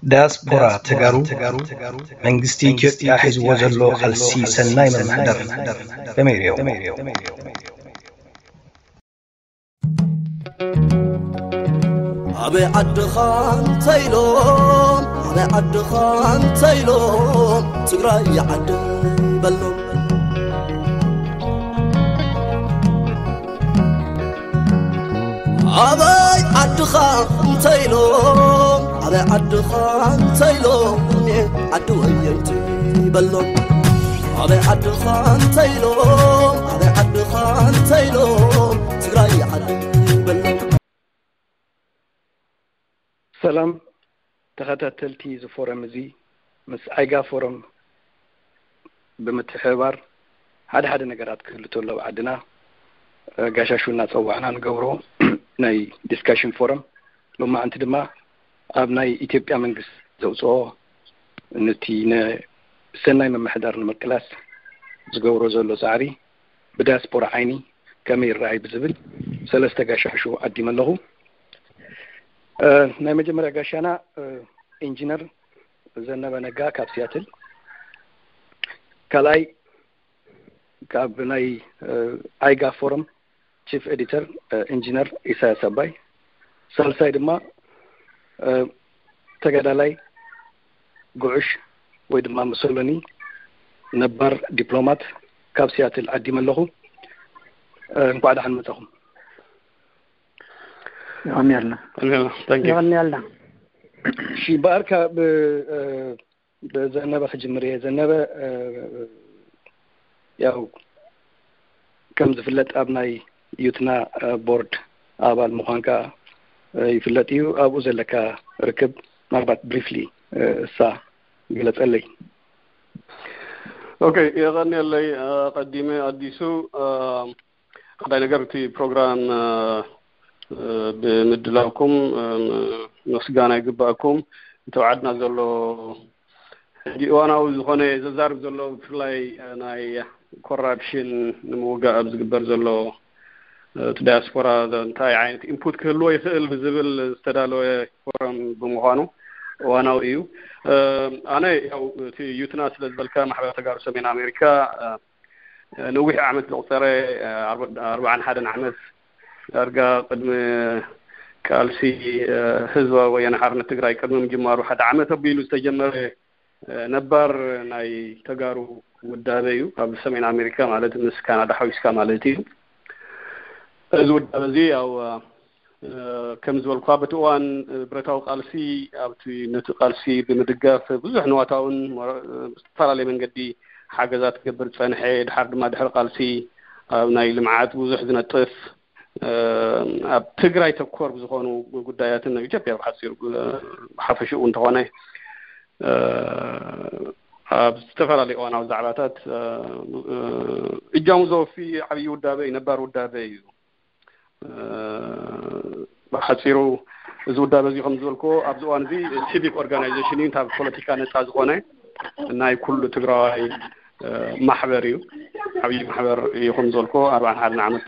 ዳያስፖራ ተጋሩ መንግስቲ ኢትዮጵያ ሒዝዎ ዘሎ ቃልሲ ሰናይ መምሕደር ከመይ ይሪኦ? ኣበይ ዓድኻ እንተኢሎም ኣበይ ዓድኻ እንተኢሎም ትግራይ ዓደይ በሎም። ኣበይ ዓድኻ እንተኢሎም ኣበይ ዓድኻ እንተኢሎም ዓዲ ወየንቲ በሎም። ኣበይ ዓድኻ እንተኢሎም ኣበይ ዓድኻ እንተኢሎም ትግራይ ዓደይ በሎም። ሰላም ተኸታተልቲ እዚ ፎረም፣ እዚ ምስ ኣይጋ ፎረም ብምትሕብባር ሓደ ሓደ ነገራት ክህሉ ተሎ ኣብ ዓድና ጋሻሹ እናፀዋዕና ንገብሮ ናይ ዲስካሽን ፎረም፣ ሎማዓንቲ ድማ ኣብ ናይ ኢትዮጵያ መንግስቲ ዘውፅኦ ነቲ ንሰናይ ምምሕዳር ንምቅላስ ዝገብሮ ዘሎ ፃዕሪ ብዳያስፖራ ዓይኒ ከመይ ይረኣይ ብዝብል ሰለስተ ጋሻሹ ዓዲመ ኣለኹ። ናይ መጀመርያ ጋሻና ኢንጂነር ዘነበ ነጋ ካብ ሲያትል፣ ካልኣይ ካብ ናይ ኣይጋ ፎረም ቺፍ ኤዲተር ኢንጂነር ኢሳያስ ኣባይ፣ ሳልሳይ ድማ ተጋዳላይ ጉዕሽ ወይ ድማ መሰሎኒ ነባር ዲፕሎማት ካብ ሲያትል ዓዲመ ኣለኹ። እንኳዕ ደሓን መጻኹም። የቐንየልና። የቐንየልና። እሺ፣ በኣርካ ብዘነበ ክጅምር እየ። ዘነበ፣ ያው ከም ዝፍለጥ ኣብ ናይ ዩትና ቦርድ ኣባል ምዃንካ ይፍለጥ እዩ። ኣብኡ ዘለካ ርክብ ምናልባት ብሪፍሊ እሳ ግለጸለይ። ኦኬ፣ የቐንየለይ። ቀዲመ ኣዲሱ፣ ቀዳይ ነገር እቲ ፕሮግራም ብምድላውኩም ምስጋና ይግባእኩም። እቲ ኣብ ዓድና ዘሎ ሕጂ እዋናዊ ዝኾነ ዘዛርብ ዘሎ ብፍላይ ናይ ኮራፕሽን ንምውጋእ ኣብ ዝግበር ዘሎ እቲ ዳያስፖራ እንታይ ዓይነት ኢንፑት ክህልዎ ይኽእል ብዝብል ዝተዳለወ ፎረም ብምዃኑ እዋናዊ እዩ። ኣነ ያው እቲ ዩትና ስለ ዝበልካ ማሕበር ተጋሩ ሰሜን ኣሜሪካ ነዊሕ ዓመት ዘቑፀረ ኣርባዓን ሓደን ዓመት ዳርጋ ቅድሚ ቃልሲ ህዝባዊ ወያነ ሓርነት ትግራይ ቅድሚ ምጅማሩ ሓደ ዓመት ኣቢሉ ዝተጀመረ ነባር ናይ ተጋሩ ውዳበ እዩ። ኣብ ሰሜን ኣሜሪካ ማለት ምስ ካናዳ ሓዊስካ ማለት እዩ። እዚ ውዳበ እዚ ያው ከም ዝበልኳ በቲ እዋን ብረታዊ ቃልሲ ኣብቲ ነቲ ቃልሲ ብምድጋፍ ብዙሕ ንዋታውን ዝተፈላለየ መንገዲ ሓገዛት ክገብር ዝፀንሐ፣ ድሓር ድማ ድሕሪ ቃልሲ ኣብ ናይ ልምዓት ብዙሕ ዝነጥፍ ኣብ ትግራይ ተኮር ብዝኾኑ ጉዳያትን ኣብ ኢትዮጵያ ብሓፂሩ ብሓፈሽኡ እንተኾነ ኣብ ዝተፈላለዩ እዋናዊ ዛዕባታት እጃሙ ዘወፊ ዓብዪ ውዳበ እዩ፣ ነባር ውዳበ እዩ። ብሓፂሩ እዚ ውዳበ እዚ ከም ዝበልክዎ ኣብዚ እዋን እዚ ሲቪክ ኦርጋናይዜሽን እዩ፣ ካብ ፖለቲካ ነፃ ዝኾነ ናይ ኩሉ ትግራዋይ ማሕበር እዩ። ዓብዪ ማሕበር እዩ፣ ከም ዝበልክዎ ኣርባዓን ሓደን ዓመት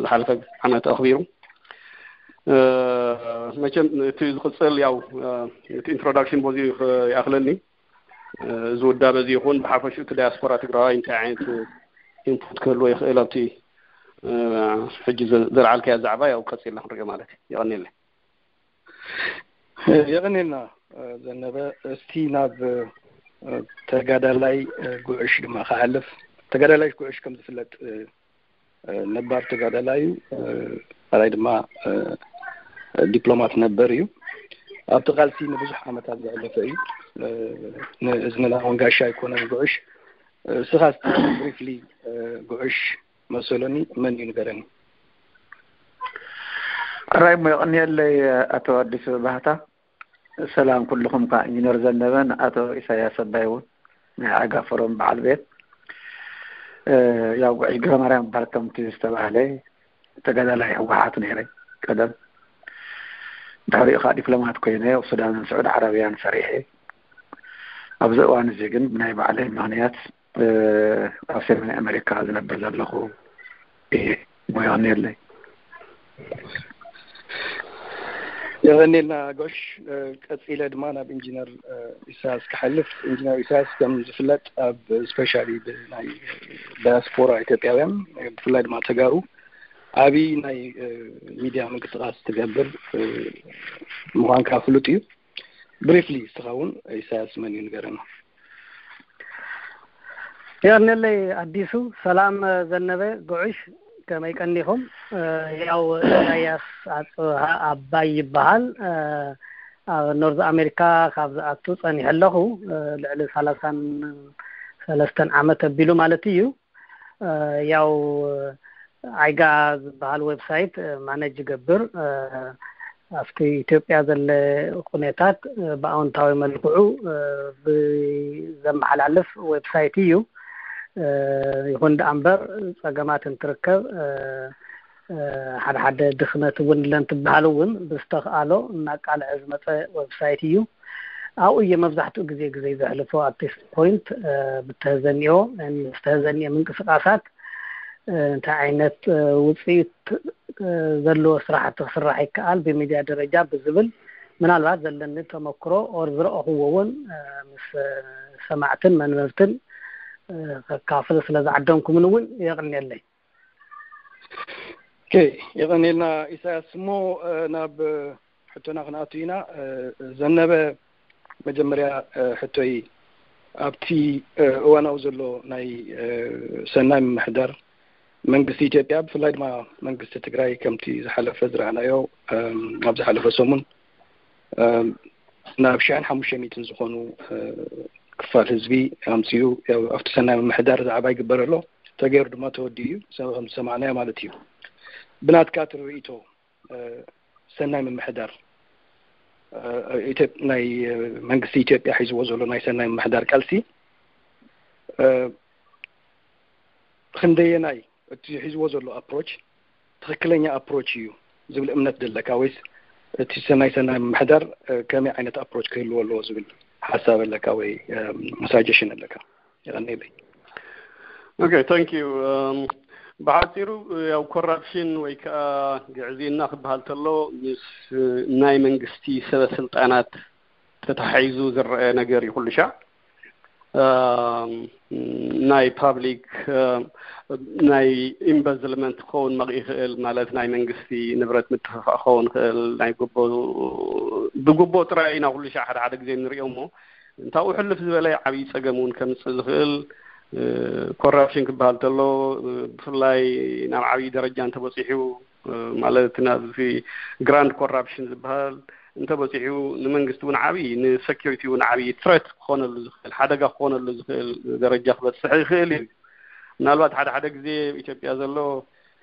ዝሓለፈ ዓመት ኣኽቢሩ። መቸም እቲ ዝቕፅል ያው እቲ ኢንትሮዳክሽን በዚ ይኣኽለኒ። እዚ ውዳበ እዚ ይኹን ብሓፈሽኡ እቲ ዳያስፖራ ትግራዋይ እንታይ ዓይነት ኢንፑት ክህልዎ ይኽእል ኣብቲ ሕጂ ዘልዓልካዮ ዛዕባ ያው ቀፂልና ክንሪኦ ማለት እዩ። የቐንየለይ። የቐንየልና ዘነበ። እስቲ ናብ ተጋዳላይ ጉዕሽ ድማ ክሓልፍ። ተጋዳላይ ጉዕሽ ከም ዝፍለጥ ነባር ተጋዳላይ እዩ። ካልኣይ ድማ ዲፕሎማት ነበር እዩ። ኣብቲ ቃልሲ ንብዙሕ ዓመታት ዘሕለፈ እዩ። ንእዝንና እውን ጋሻ ኣይኮነን ጉዕሽ። እስኻ እስቲ ብሪፍሊ ጉዕሽ መሰሎኒ መን እዩ ንገረኒ። ሕራይ እሞ የቐንየለይ ኣቶ ኣዲሱ ባህታ። ሰላም ኩልኹም፣ ካብ ኢንጂነር ዘነበን ኣቶ ኢሳያስ ኣባይ እውን ናይ ኣጋ ፎረም በዓል ቤት። ያው ጉዕሽ ገብረማርያም እበሃል፣ ከምቲ ዝተባህለ ተጋዳላይ ህወሓት ነይረ ቀደም። ድሕሪኡ ከዓ ዲፕሎማት ኮይነ ኣብ ሱዳንን ስዑድ ዓረብያን ሰሪሐ። ኣብዚ እዋን እዚ ግን ብናይ ባዕለይ ምኽንያት ኣብ ሰሜን ኣሜሪካ ዝነብር ዘለኹ እየ። ሞያን የለይ። የቐኔልና ጎሽ። ቀጺለ ድማ ናብ ኢንጂነር ኢሳያስ ክሓልፍ። ኢንጂነር ኢሳያስ ከም ዝፍለጥ ኣብ ስፔሻሊ ናይ ዳያስፖራ ኢትዮጵያውያን፣ ብፍላይ ድማ ተጋሩ፣ ዓብዪ ናይ ሚድያ ምንቅስቃስ ትገብር ምዃንካ ፍሉጥ እዩ። ብሪፍሊ እስኻ እውን ኢሳያስ መን እዩ ንገረና። የቐኔለይ ኣዲሱ። ሰላም ዘነበ ጉዑሽ፣ ከመይ ቀኒኹም? ያው ኢሳያስ ኣጽብሃ ኣባይ ይበሃል። ኣብ ኖርዝ ኣሜሪካ ካብ ዝኣቱ ጸኒሐ ኣለኹ። ልዕሊ ሰላሳን ሰለስተን ዓመት ኣቢሉ ማለት እዩ። ያው ዓይጋ ዝበሃል ዌብሳይት ማነጅ ይገብር። ኣብቲ ኢትዮጵያ ዘለ ኩነታት ብኣወንታዊ መልክዑ ብዘመሓላልፍ ዌብሳይት እዩ። ይኹን ደኣ እምበር ጸገማት እንትርከብ፣ ሓደ ሓደ ድኽመት እውን ለን ትበሃል እውን ብዝተኽኣሎ እናቃልዐ ዝመፀ ዌብሳይት እዩ። ኣብኡ እየ መብዛሕትኡ ግዜ ግዜ ዘሕልፎ። ኣብ ቴስት ፖይንት ብተህዘኒኦ ዝተህዘኒኦ ምንቅስቃሳት እንታይ ዓይነት ውፅኢት ዘለዎ ስራሕቲ ክስራሕ ይከኣል ብሚድያ ደረጃ ብዝብል ምናልባት ዘለኒ ተመክሮ ኦር ዝረእኽዎ እውን ምስ ሰማዕትን መንበብትን ከካፍል ስለ ዝዓደምኩምን እውን የቕንየለይ። ኦኬ፣ የቐንየልና ኢሳያስ። እሞ ናብ ሕቶና ክንኣቱ ኢና። ዘነበ፣ መጀመርያ ሕቶይ ኣብቲ እዋናዊ ዘሎ ናይ ሰናይ ምምሕዳር መንግስቲ ኢትዮጵያ ብፍላይ ድማ መንግስቲ ትግራይ ከምቲ ዝሓለፈ ዝረኣናዮ ኣብ ዝሓለፈ ሰሙን ናብ ሽሕን ሓሙሽተ ሚእትን ዝኾኑ ክፋል ህዝቢ ኣምፅኡ ኣብቲ ሰናይ ምምሕዳር ዛዕባ ይግበር ኣሎ። ተገይሩ ድማ ተወዲኡ እዩ፣ ከም ዝሰማዕናዮ ማለት እዩ። ብናትካ ትርኢቶ ሰናይ ምምሕዳር ናይ መንግስቲ ኢትዮጵያ ሒዝዎ ዘሎ ናይ ሰናይ ምምሕዳር ቃልሲ ክንደየናይ እቲ ሒዝዎ ዘሎ ኣፕሮች ትኽክለኛ ኣፕሮች እዩ ዝብል እምነት ደለካ፣ ወይስ እቲ ሰናይ ሰናይ ምምሕዳር ከመይ ዓይነት ኣፕሮች ክህልዎ ኣለዎ ዝብል ሓሳብ ኣለካ ወይ ሳጀሽን ኣለካ? የቐንየለይ። ኦኬ፣ ታንክ ዩ። ብሓፂሩ ያው ኮራፕሽን ወይ ከዓ ግዕዝይና ክበሃል ተሎ ምስ ናይ መንግስቲ ሰበ ስልጣናት ተታሒዙ ዝረአ ነገር እዩ ኩሉ ሻዕ። ናይ ፓብሊክ ናይ ኢምበዝልመንት ክኸውን መቕ ይኽእል፣ ማለት ናይ መንግስቲ ንብረት ምትፍፋእ ክኸውን ይኽእል። ናይ ጉቦ ብጉቦ ጥራይ ኢና ኩሉ ሻዕ ሓደ ሓደ ግዜ ንሪኦ እሞ እንታኡ ሕልፍ ዝበለ ዓብዪ ፀገም እውን ከምፅእ ዝኽእል ኮራፕሽን ክበሃል ተሎ ብፍላይ ናብ ዓብዪ ደረጃ እንተበፂሑ ማለት ናብዚ ግራንድ ኮራፕሽን ዝበሃል እንተበፂሑ ንመንግስቲ እውን ዓብዪ ንሰኪሪቲ እውን ዓብዪ ትረት ክኾነሉ ዝኽእል ሓደጋ ክኾነሉ ዝኽእል ደረጃ ክበፅሕ ይኽእል እዩ። ምናልባት ሓደ ሓደ ግዜ ኢትዮጵያ ዘሎ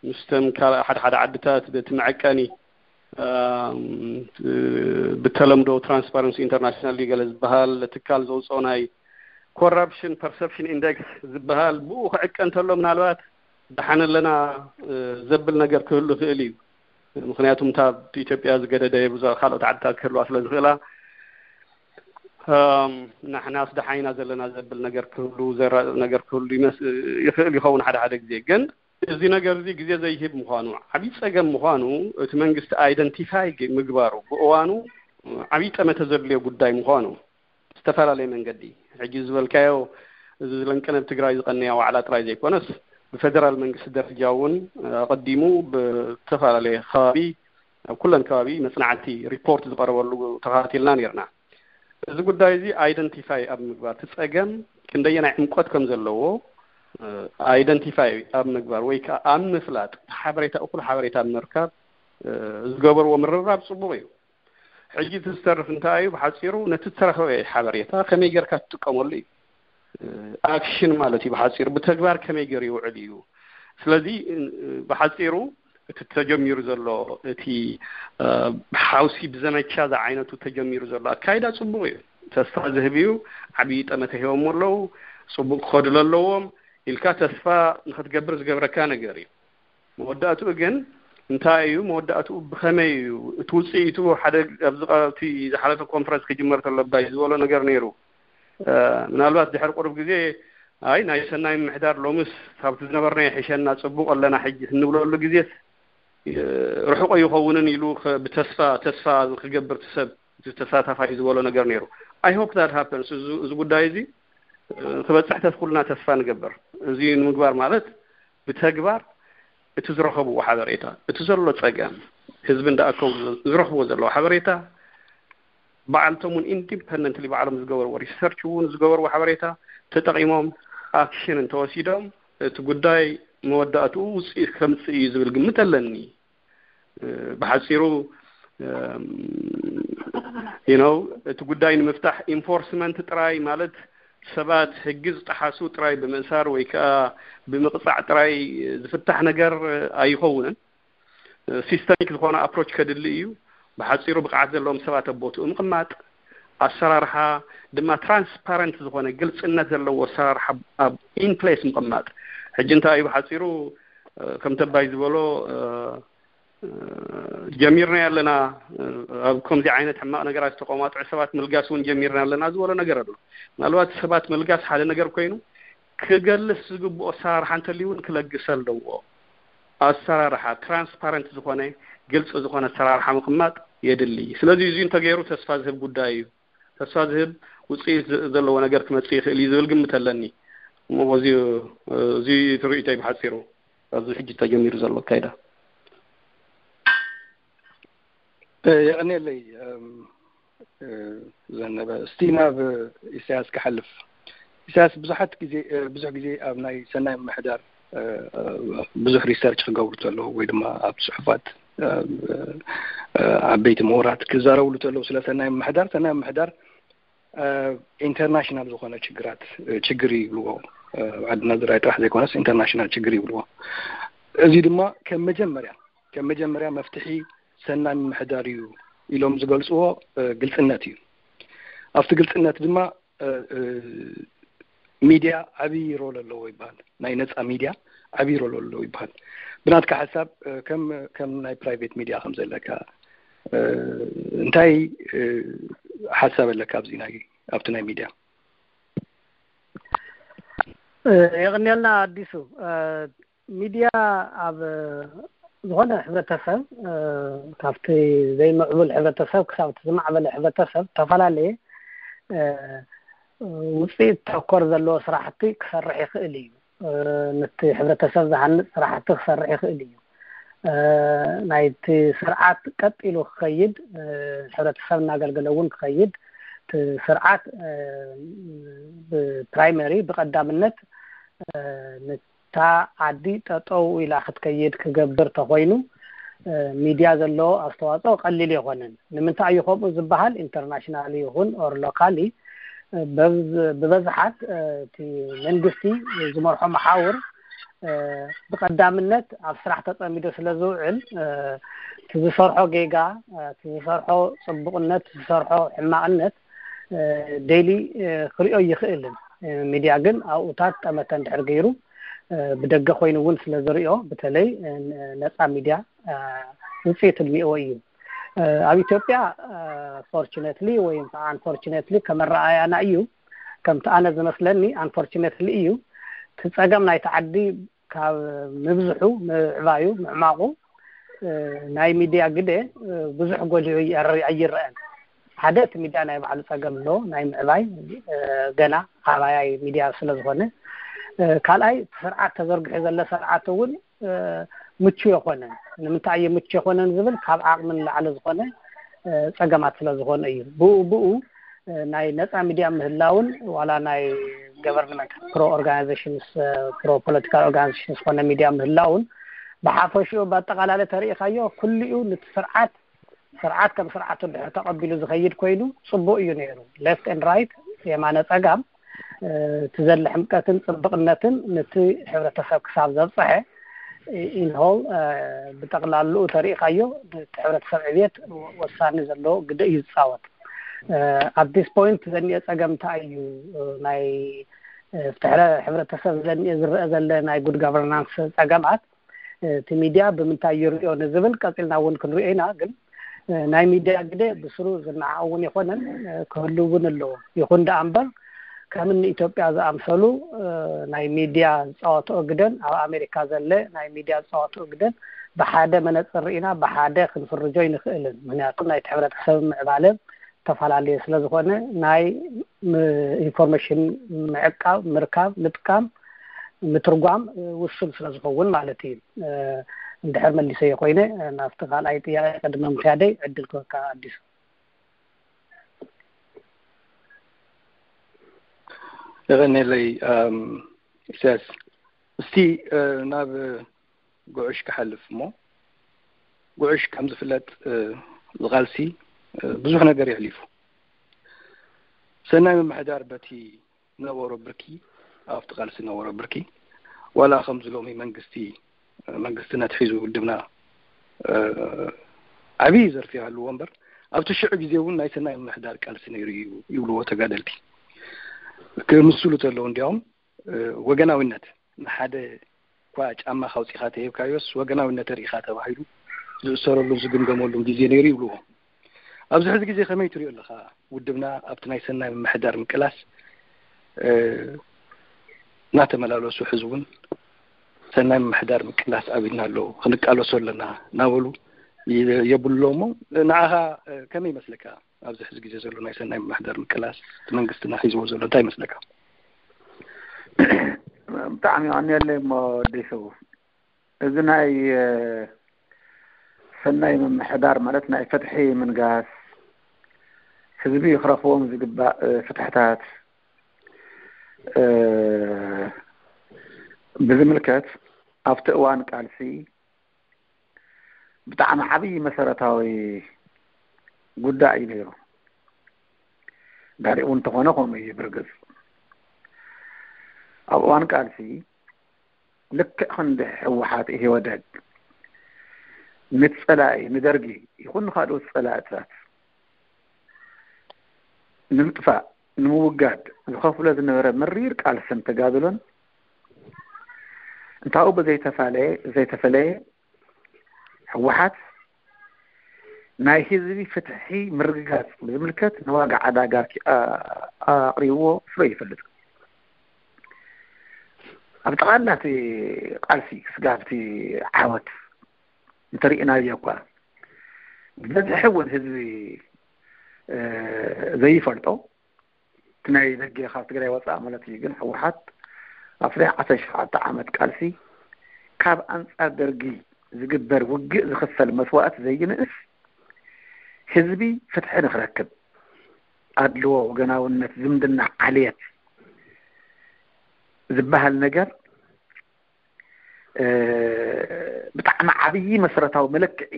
ምስቶም ካልእ ሓደ ሓደ ዓድታት በቲ መዐቀኒ ብተለምዶ ትራንስፓረንሲ ኢንተርናሽናል ገለ ዝበሃል ትካል ዘውፅኦ ናይ ኮራፕሽን ፐርሰፕሽን ኢንደክስ ዝበሃል ብኡ ክዕቀ እንተሎ ምናልባት ደሓን ኣለና ዘብል ነገር ክህሉ ይኽእል እዩ። ምክንያቱም እታ ኢትዮጵያ ዝገደደ ብዙ ካልኦት ዓድታት ክህልዋ ስለ ዝኽእላ ንሕናስ ደሓይና ዘለና ዘብል ነገር ክህሉ ዘራጥብ ነገር ክህሉ ይኽእል ይኸውን ሓደ ሓደ ግዜ። ግን እዚ ነገር እዚ ግዜ ዘይህብ ምዃኑ ዓብዪ ፀገም ምዃኑ እቲ መንግስቲ ኣይደንቲፋይ ምግባሩ ብእዋኑ ዓብዪ ጠመተ ዘድልዮ ጉዳይ ምዃኑ ዝተፈላለየ መንገዲ ሕጂ ዝበልካዮ እዚ ዝለንቀነ ኣብ ትግራይ ዝቐነያ ዋዕላ ጥራይ ዘይኮነስ ብፌደራል መንግስቲ ደረጃ እውን ኣቐዲሙ ብዝተፈላለየ ከባቢ ኣብ ኩለን ከባቢ መፅናዕቲ ሪፖርት ዝቐረበሉ ተኸታቲልና ነርና። እዚ ጉዳይ እዚ ኣይደንቲፋይ ኣብ ምግባር እቲ ፀገም ክንደየናይ ዕምቆት ከም ዘለዎ ኣይደንቲፋይ ኣብ ምግባር ወይ ከዓ ኣብ ምፍላጥ ሓበሬታ እኩል ሓበሬታ ኣብ ምርካብ ዝገበርዎ ምርብራብ ፅቡቕ እዩ። ሕጂ እቲ ዝተርፍ እንታይ እዩ? ብሓፂሩ ነቲ ዝተረኸበ ሓበሬታ ከመይ ጌርካ ትጥቀመሉ እዩ። ኣክሽን ማለት እዩ ብሓፂሩ ብተግባር ከመይ ገይሩ ይውዕል እዩ። ስለዚ ብሓፂሩ እቲ ተጀሚሩ ዘሎ እቲ ሓውሲ ብዘመቻ ዝዓይነቱ ተጀሚሩ ዘሎ ኣካይዳ ፅቡቕ እዩ፣ ተስፋ ዝህብ እዩ። ዓብዪ ጠመተ ሂቦሞ ኣለዉ፣ ፅቡቕ ክኸዱ ኣለዎም ኢልካ ተስፋ ንክትገብር ዝገብረካ ነገር እዩ። መወዳእትኡ ግን እንታይ እዩ? መወዳእትኡ ብኸመይ እዩ? እቲ ውፅኢቱ ሓደ ኣብዚ ዝሓለፈ ኮንፈረንስ ክጅመር ተሎ ኣባይ ዝበሎ ነገር ነይሩ። ምናልባት ድሕሪ ቁሩብ ግዜ ኣይ ናይ ሰናይ ምምሕዳር ሎምስ ካብቲ ዝነበርናዮ ይሕሸና ፅቡቕ ኣለና ሕጂ እንብለሉ ግዜስ ርሑቕ ኣይኸውንን ኢሉ ብተስፋ ተስፋ ክገብር ሰብ ተሳታፋይ ዝበሎ ነገር ነይሩ። I hope that happens። እዚ ጉዳይ እዚ ክበፅሕ ተስኩልና ተስፋ ንገብር። እዚ ንምግባር ማለት ብተግባር እቲ ዝረኸብዎ ሓበሬታ፣ እቲ ዘሎ ፀገም፣ ህዝቢ እንዳኣከቡ ዝረኽብዎ ዘለዉ ሓበሬታ ባዕልቶም እውን ኢንዲፐንደንትሊ ባዕሎም ዝገበርዎ ሪሰርች እውን ዝገበርዎ ሓበሬታ ተጠቒሞም ኣክሽን እንተወሲዶም እቲ ጉዳይ መወዳእትኡ ውፅኢት ከምፅእ እዩ ዝብል ግምት ኣለኒ። ብሓፂሩ you know እቲ ጉዳይ ንምፍታሕ ኢንፎርስመንት ጥራይ ማለት ሰባት ሕጊ ዝጠሓሱ ጥራይ ብምእሳር ወይ ከዓ ብምቕፃዕ ጥራይ ዝፍታሕ ነገር ኣይኸውንን። ሲስተሚክ ዝኾነ ኣፕሮች ከድሊ እዩ። ብሓፂሩ ብቕዓት ዘለዎም ሰባት ኣብ ቦትኡ ምቕማጥ፣ ኣሰራርሓ ድማ ትራንስፓረንት ዝኾነ ግልፅነት ዘለዎ ኣሰራርሓ ኣብ ኢንፕሌስ ምቕማጥ። ሕጂ እንታይ እዩ ብሓፂሩ ከም ተባይ ዝበሎ ጀሚርና ኣለና ኣብ ከምዚ ዓይነት ሕማቕ ነገራት ዝተቆማጥዑ ሰባት ምልጋስ እውን ጀሚርና ኣለና ዝበሎ ነገር ኣሎ። ምናልባት ሰባት ምልጋስ ሓደ ነገር ኮይኑ ክገልስ ዝግብኦ ኣሰራርሓ እንተልዩ እውን ክለግስ ኣለዎ። ኣሰራርሓ ትራንስፓረንት ዝኾነ ግልፂ ዝኾነ ኣሰራርሓ ምቕማጥ የድሊ። ስለዚ እዚ እንተገይሩ ተስፋ ዝህብ ጉዳይ እዩ። ተስፋ ዝህብ ውፅኢት ዘለዎ ነገር ክመፅእ ይኽእል እዩ ዝብል ግምት ኣለኒ። እሞ በዚ እዚ ትርኢተይ ብሓፂሩ ኣብዚ ሕጂ ተጀሚሩ ዘሎ ኣካይዳ። የቐንየለይ ዘነበ። እስቲ ናብ ኢሳያስ ክሓልፍ። ኢሳያስ ብዙሓት ግዜ ብዙሕ ግዜ ኣብ ናይ ሰናይ ምምሕዳር ብዙሕ ሪሰርች ክገብሩ ተለዉ ወይ ድማ ኣብ ፅሑፋት ዓበይቲ ምሁራት ክዛረብሉ ተለዉ ስለ ሰናይ ምምሕዳር ሰናይ ምምሕዳር ኢንተርናሽናል ዝኾነ ችግራት ችግር ይብልዎ። ዓድና ዝራይ ጥራሕ ዘይኮነስ ኢንተርናሽናል ችግር ይብልዎ። እዚ ድማ ከም መጀመርያ ከም መጀመርያ መፍትሒ ሰናይ ምምሕዳር እዩ ኢሎም ዝገልፅዎ ግልፅነት እዩ። ኣብቲ ግልፅነት ድማ ሚድያ ዓብዪ ሮል ኣለዎ ይበሃል። ናይ ነፃ ሚድያ ዓብዪ ሮል ኣለዎ ይበሃል። ብናትካ ሓሳብ ከም ከም ናይ ፕራይቬት ሚድያ ከም ዘለካ እንታይ ሓሳብ ኣለካ ኣብዚ ናይ ኣብቲ ናይ ሚድያ? የቕንየልና ኣዲሱ። ሚድያ ኣብ ዝኾነ ሕብረተሰብ ካብቲ ዘይምዕቡል ሕብረተሰብ ክሳብ እቲ ዝማዕበለ ሕብረተሰብ ዝተፈላለየ ውፅኢት ተኮር ዘለዎ ስራሕቲ ክሰርሕ ይኽእል እዩ። ነቲ ሕብረተሰብ ዝሃንፅ ስራሕቲ ክሰርሕ ይኽእል እዩ። ናይቲ ስርዓት ቀጢሉ ክኸይድ፣ ሕብረተሰብ እናገልገለ እውን ክኸይድ፣ እቲ ስርዓት ብፕራይመሪ ብቀዳምነት ነታ ዓዲ ጠጠው ኢላ ክትከይድ ክገብር ተኾይኑ ሚድያ ዘለዎ ኣስተዋፅኦ ቀሊል ኣይኾነን። ንምንታይ እዩ ከምኡ ዝበሃል? ኢንተርናሽናል ይኹን ኦር ሎካሊ ብበዝሓት እቲ መንግስቲ ዝመርሖ መሓውር ብቀዳምነት ኣብ ስራሕ ተፀሚዶ ስለ ዝውዕል እቲ ዝሰርሖ ጌጋ፣ እቲ ዝሰርሖ ፅቡቅነት፣ ዝሰርሖ ሕማቅነት ዴይሊ ክሪኦ ይኽእልን። ሚድያ ግን ኣብኡታት ጠመተ እንድሕር ገይሩ ብደገ ኮይኑ እውን ስለ ዝሪኦ በተለይ ነፃ ሚድያ ውፅኢት ልሚእዎ እዩ። ኣብ ኢትዮጵያ ፎርቹነትሊ ወይ ከዓ ኣንፎርቹነትሊ ከመረኣያና እዩ። ከምቲ ኣነ ዝመስለኒ ኣንፎርቹነትሊ እዩ። እቲ ፀገም ናይቲ ዓዲ ካብ ምብዝሑ ምዕባዩ ምዕማቑ ናይ ሚድያ ግደ ብዙሕ ጎሊሁ ኣይረአን። ሓደ እቲ ሚድያ ናይ ባዕሉ ፀገም ኣሎ ናይ ምዕባይ ገና ኣባያይ ሚድያ ስለ ዝኾነ፣ ካልኣይ እቲ ስርዓት ተዘርጊሑ ዘሎ ስርዓት እውን ምቹ የኮነን። ንምንታይ እየ ምቹ የኮነን ዝብል ካብ ዓቕሚ ንላዕሊ ዝኾነ ፀገማት ስለ ዝኾነ እዩ። ብኡ ብኡ ናይ ነፃ ሚድያ ምህላውን ዋላ ናይ ገቨርንመንት ፕሮ ኦርጋናይዜሽንስ ፕሮ ፖለቲካል ኦርጋናይዜሽን ዝኾነ ሚድያ ምህላውን ብሓፈሽኡ ብኣጠቃላለ ተሪኢኻዮ ኩሉኡ ንቲ ስርዓት ስርዓት ከም ስርዓቱ ድሕር ተቐቢሉ ዝኸይድ ኮይኑ ፅቡቅ እዩ ነይሩ። ሌፍት ኤንድ ራይት የማነ ፀጋም እቲ ዘለ ሕምቀትን ፅብቕነትን ነቲ ሕብረተሰብ ክሳብ ዘብፀሐ ኢንሆል ብጠቕላልኡ ተሪኢኻዮ እቲ ሕብረተሰብ ዕብየት ወሳኒ ዘለዎ ግደ እዩ ዝፃወት። ኣብ ዲስ ፖይንት ዘኒኦ ፀገም እንታይ እዩ? ናይ ፍትሕረ ሕብረተሰብ ዘኒኦ ዝረአ ዘለ ናይ ጉድ ጋቨርናንስ ፀገማት እቲ ሚድያ ብምንታይ ይሪኦ ንዝብል ቀፂልና እውን ክንሪኦ ኢና። ግን ናይ ሚድያ ግደ ብስሩ ዝነዓቕ እውን የኮነን ክህሉ እውን ኣለዎ። ይኹን ደኣ እምበር ከም እኒ ኢትዮጵያ ዝኣምሰሉ ናይ ሚድያ ዝፃወትኦ ግደን ኣብ ኣሜሪካ ዘለ ናይ ሚድያ ዝፃወትኦ ግደን ብሓደ መነፅር ርኢና ብሓደ ክንፍርጆ ይንኽእልን። ምክንያቱ ናይቲ ሕብረተሰብ ምዕባለ ተፈላለየ ስለ ዝኾነ ናይ ኢንፎርሜሽን ምዕቃብ፣ ምርካብ፣ ምጥቃም፣ ምትርጓም ውሱን ስለ ዝኸውን ማለት እዩ። እንድሕር መሊሰዮ ኮይነ ናብቲ ካልኣይ ጥያቄ ቅድሚ ምክያደይ ዕድል ክወካ ኣዲሱ። የቐኔለይ ኢሳያስ። እስቲ ናብ ጉዕሽ ክሓልፍ እሞ፣ ጉዕሽ ከም ዝፍለጥ ዝቓልሲ ብዙሕ ነገር የሕሊፉ። ሰናይ ምምሕዳር በቲ ነበሮ ብርኪ፣ ኣብቲ ቃልሲ ነበሮ ብርኪ፣ ዋላ ከምዚ ሎሚ መንግስቲ መንግስትና ትሒዙ ውድብና ዓብዪ ዘርፊ ይሃልዎ እምበር፣ ኣብቲ ሽዑ ግዜ እውን ናይ ሰናይ ምምሕዳር ቃልሲ ነይሩ እዩ ይብልዎ ተጋደልቲ። ክምስሉ ተለዉ እንዲያውም ወገናዊነት፣ ንሓደ እኳ ጫማ ካውፂኻ ተሂብካዮስ ወገናዊነት ርኢኻ ተባሂሉ ዝእሰረሉን ዝግምገመሉን ግዜ ነይሩ ይብልዎ። ኣብዚ ሕዚ ግዜ ከመይ ትሪኦ ኣለኻ? ውድብና ኣብቲ ናይ ሰናይ ምምሕዳር ምቅላስ እናተመላለሱ፣ ሕዚ እውን ሰናይ ምምሕዳር ምቅላስ ኣብ ኢድና ኣሎ፣ ክንቃለሶ ኣለና እናበሉ የብልዎ እሞ፣ ንዓኻ ከመይ ይመስለካ? ኣብዚ ሕዚ ግዜ ዘሎ ናይ ሰናይ ምምሕዳር ምቅላስ እቲ መንግስትና ሒዝዎ ዘሎ እንታይ ይመስለካ? ብጣዕሚ የቐንየለይ እሞ ኣዲሱ፣ እዚ ናይ ሰናይ ምምሕዳር ማለት ናይ ፍትሒ ምንጋስ፣ ህዝቢ ክረኽቦም ዝግባእ ፍትሕታት ብዝምልከት ኣብቲ እዋን ቃልሲ ብጣዕሚ ዓብዪ መሰረታዊ ጉዳይ እዩ ነይሩ። ድሕሪኡ እውን እንተኾነ ከምኡ እዩ ብርግፅ። ኣብ እዋን ቃልሲ ልክዕ ክንዲ ህወሓት፣ ኢህወደግ ንፀላኢ ንደርጊ ይኹን ንካልኦት ፀላእታት ንምጥፋእ ንምውጋድ ዝኸፍሎ ዝነበረ መሪር ቃልስን ተጋድሎን እንታኡ ብዘይተፋለየ ዘይተፈለየ ህወሓት ናይ ህዝቢ ፍትሒ ምርግጋፅ ብዝምልከት ንዋጋ ዕዳጋ ኣቅሪብዎ ስበ ይፈልጥ። ኣብ ጠቓላ እቲ ቃልሲ ክስጋብ እቲ ዓወት እንተርኢናዮ እኳ ብበዝሒ እውን ህዝቢ ዘይፈልጦ እቲ ናይ ደገ ካብ ትግራይ ወፃእ ማለት እዩ። ግን ህወሓት ኣብ ፍትሒ ዓሰርተ ሸውዓተ ዓመት ቃልሲ ካብ ኣንፃር ደርጊ ዝግበር ውግእ ዝኽፈል መስዋእቲ ዘይንእስ ህዝቢ ፍትሒ ንክረክብ ኣድልዎ፣ ወገናውነት፣ ዝምድና፣ ዓልየት ዝበሃል ነገር ብጣዕሚ ዓብዪ መሰረታዊ መለክዒ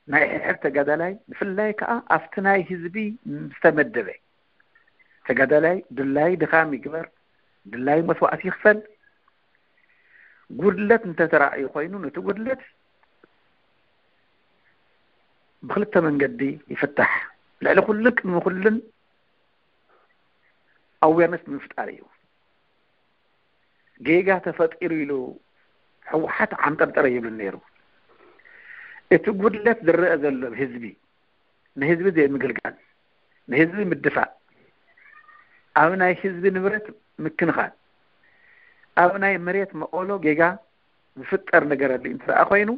ናይ ሕድሕድ ተጋዳላይ ብፍላይ ከዓ ኣብቲ ናይ ህዝቢ ዝተመደበ ተጋዳላይ ድላይ ድኻም ይግበር፣ ድላይ መስዋእቲ ይኽፈል። ጉድለት እንተተራእዩ ኮይኑ ነቲ ጉድለት ብክልተ መንገዲ ይፍታሕ። ልዕሊ ኩሉን ቅድሚ ኩሉን ኣዌርነስ ብምፍጣር እዩ። ጌጋ ተፈጢሩ ኢሉ ህወሓት ዓንጠርጠረ ይብልን ነይሩ። እቲ ጉድለት ዝረአ ዘሎ ህዝቢ ንህዝቢ ዘይምግልጋል፣ ንህዝቢ ምድፋእ፣ ኣብ ናይ ህዝቢ ንብረት ምክንኻን፣ ኣብ ናይ መሬት መቐሎ ጌጋ ዝፍጠር ነገር ኣድልዩ እንተ ደኣ ኮይኑ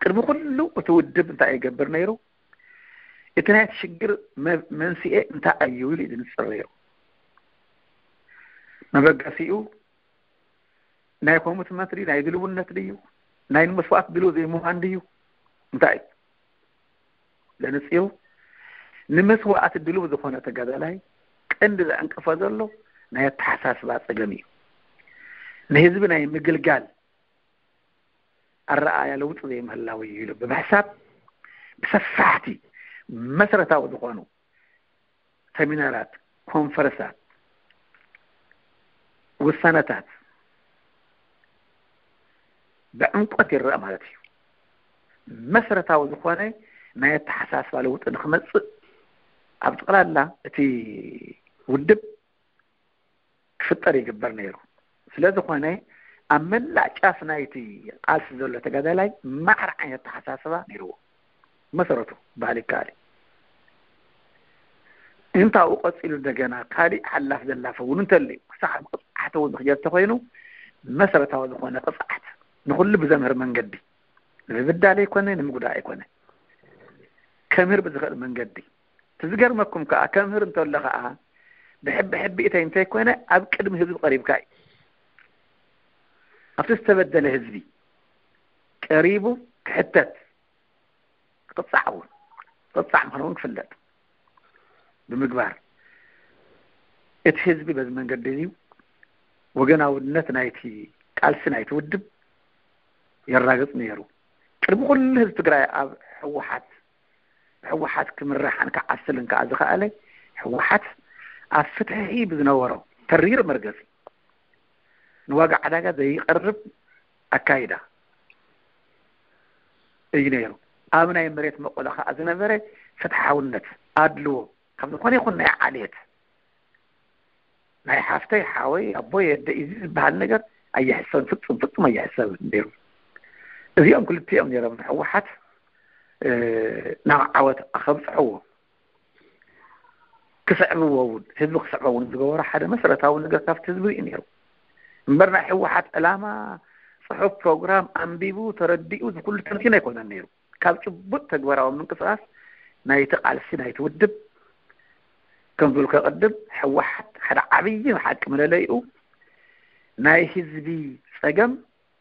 ቅድሚ ኩሉ እቲ ውድብ እንታይ ይገብር ነይሩ? እቲ ናይ ሽግር መንስኤ እንታይ እዩ ኢሉ እዩ ዝንፅር ነይሩ። መበገሲኡ ናይ ኮሚትመንት ድዩ? ናይ ድልውነት ድዩ? ናይ ንመስዋእቲ ድልው ዘይምዃን ድዩ? እንታይ እዩ ዘንፅሩ? ንመስዋእቲ ድልው ዝኾነ ተጋዳላይ ቀንዲ ዘዕንቅፎ ዘሎ ናይ ኣተሓሳስባ ፀገም እዩ። ንህዝቢ ናይ ምግልጋል ኣረኣእያ ለውጢ ዘይምህላው እዩ ኢሉ ብምሕሳብ ብሰፋሕቲ መሰረታዊ ዝኾኑ ሰሚናራት፣ ኮንፈረንሳት፣ ውሳነታት ብዕምቆት ይረአ ማለት እዩ። መሰረታዊ ዝኾነ ናይ ኣተሓሳስባ ለውጢ ንክመፅእ ኣብ ጠቕላላ እቲ ውድብ ክፍጠር ይግበር ነይሩ። ስለ ዝኾነ ኣብ መላእ ጫፍ ናይቲ ቃልሲ ዘሎ ተጋዳላይ ማዕረ ዓይነት ኣተሓሳስባ ነይርዎ። መሰረቱ ባህል ይከኣል እዩ። እንታኡ ቀፂሉ እንደገና ካሊእ ሓላፍ ዘላፈ እውን እንተልዩ ክሳዕ ኣብ ቅፅዓት እውን ዝኽየድ ተኮይኑ መሰረታዊ ዝኾነ ቅፅዓት ንኹሉ ብዘምህር መንገዲ፣ ንምብዳል ኣይኮነ፣ ንምጉዳእ ኣይኮነ፣ ከምህር ብዝኽእል መንገዲ። እቲ ዝገርመኩም ከዓ፣ ከምህር እንተሎ ከዓ ብሕቢ ሕቢእተይ እንተይኮነ፣ ኣብ ቅድሚ ህዝቢ ቀሪብካ እዩ። ኣብቲ ዝተበደለ ህዝቢ ቀሪቡ ክሕተት፣ ክቕጻዕ እውን፣ ክቕጻዕ ምዃኑ እውን ክፍለጥ ብምግባር፣ እቲ ህዝቢ በዚ መንገዲ እዚ ወገናውነት ናይቲ ቃልሲ ናይቲ ውድብ የራግጽ ነይሩ። ቅድሚ ኩሉ ህዝቢ ትግራይ ኣብ ህወሓት፣ ህወሓት ክምራሕን ክዓስልን ከዓ ዝኸኣለ፣ ህወሓት ኣብ ፍትሒ ብዝነበሮ ተሪር መርገጺ፣ ንዋጋ ዕዳጋ ዘይቐርብ ኣካይዳ እዩ ነይሩ። ኣብ ናይ መሬት መቆላ ከዓ ዝነበረ ፍትሓውነት፣ ኣድልዎ፣ ካብ ዝኾነ ይኹን ናይ ዓሌት፣ ናይ ሓፍተይ፣ ሓወይ፣ ኣቦይ፣ ኣደይ እዚ ዝበሃል ነገር ኣየሕሰብን፣ ፍጹም፣ ፍጹም ኣየሕሰብን ነይሩ። እዚኦም ክልቲኦም ነይሮም ንህወሓት፣ እ፣ ናብ ዓወት ኣኸብጽሕዎ። ክስዕብዎ እውን፣ ህዝቢ ክስዕቦ እውን ዝገበሮ ሓደ መሰረታዊ ነገር ካብቲ ህዝቢ እዩ ነይሩ። እምበር ናይ ህወሓት ዕላማ፣ ጽሑፍ፣ ፕሮግራም ኣንቢቡ፣ ተረዲኡ፣ እዚ ኩሉ ተንቲኑ ኣይኮነን ነይሩ። ካብ ጭቡጥ ተግባራዊ ምንቅስቃስ ናይቲ ቃልሲ ናይቲ ውድብ፣ ከም ዝብልከ ቅድም፣ ህወሓት ሓደ ዓብዪ ሓቂ መለለይኡ፣ ናይ ህዝቢ ጸገም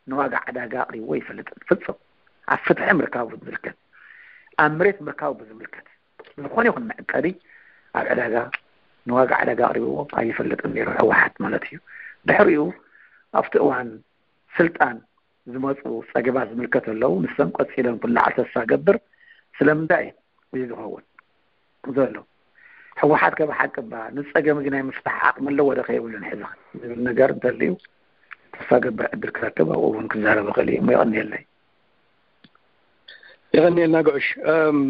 ንዋጋ ዕዳጋ ኣቕሪብዎ ኣይፈልጥን። ፍጹም። ኣብ ፍትሒ ምርካቡ ብዝምልከት፣ ኣብ መሬት ምርካቡ ብዝምልከት፣ ዝኾነ ይኹን መዕቀሪ ኣብ ዕዳጋ፣ ንዋጋ ዕዳጋ ኣቕሪብዎ ኣይፈልጥን ነይሩ፣ ህወሓት ማለት እዩ። ድሕሪኡ ኣብቲ እዋን ስልጣን ዝመፁ ፀገማት ዝምልከት ኣለዉ። ንሶም ቀፂሎም ክለዓል ተስፋ ገብር። ስለምንታይ እዩ ዝኸውን ዘሎ? ህወሓት ከ ብሓቂ እባ ንፀገም እዚ ናይ ምፍታሕ ዓቕሚ ኣለዎ ዶ ከየብሉን ሕዚ ዝብል ነገር እንተልዩ፣ ተስፋ ገብር ዕድል ክረክብ፣ ኣብኡ እውን ክዛረብ ይኽእል እዩ። እሞ የቐንየለይ። የቐንየልና ጉዕሽ። እም፣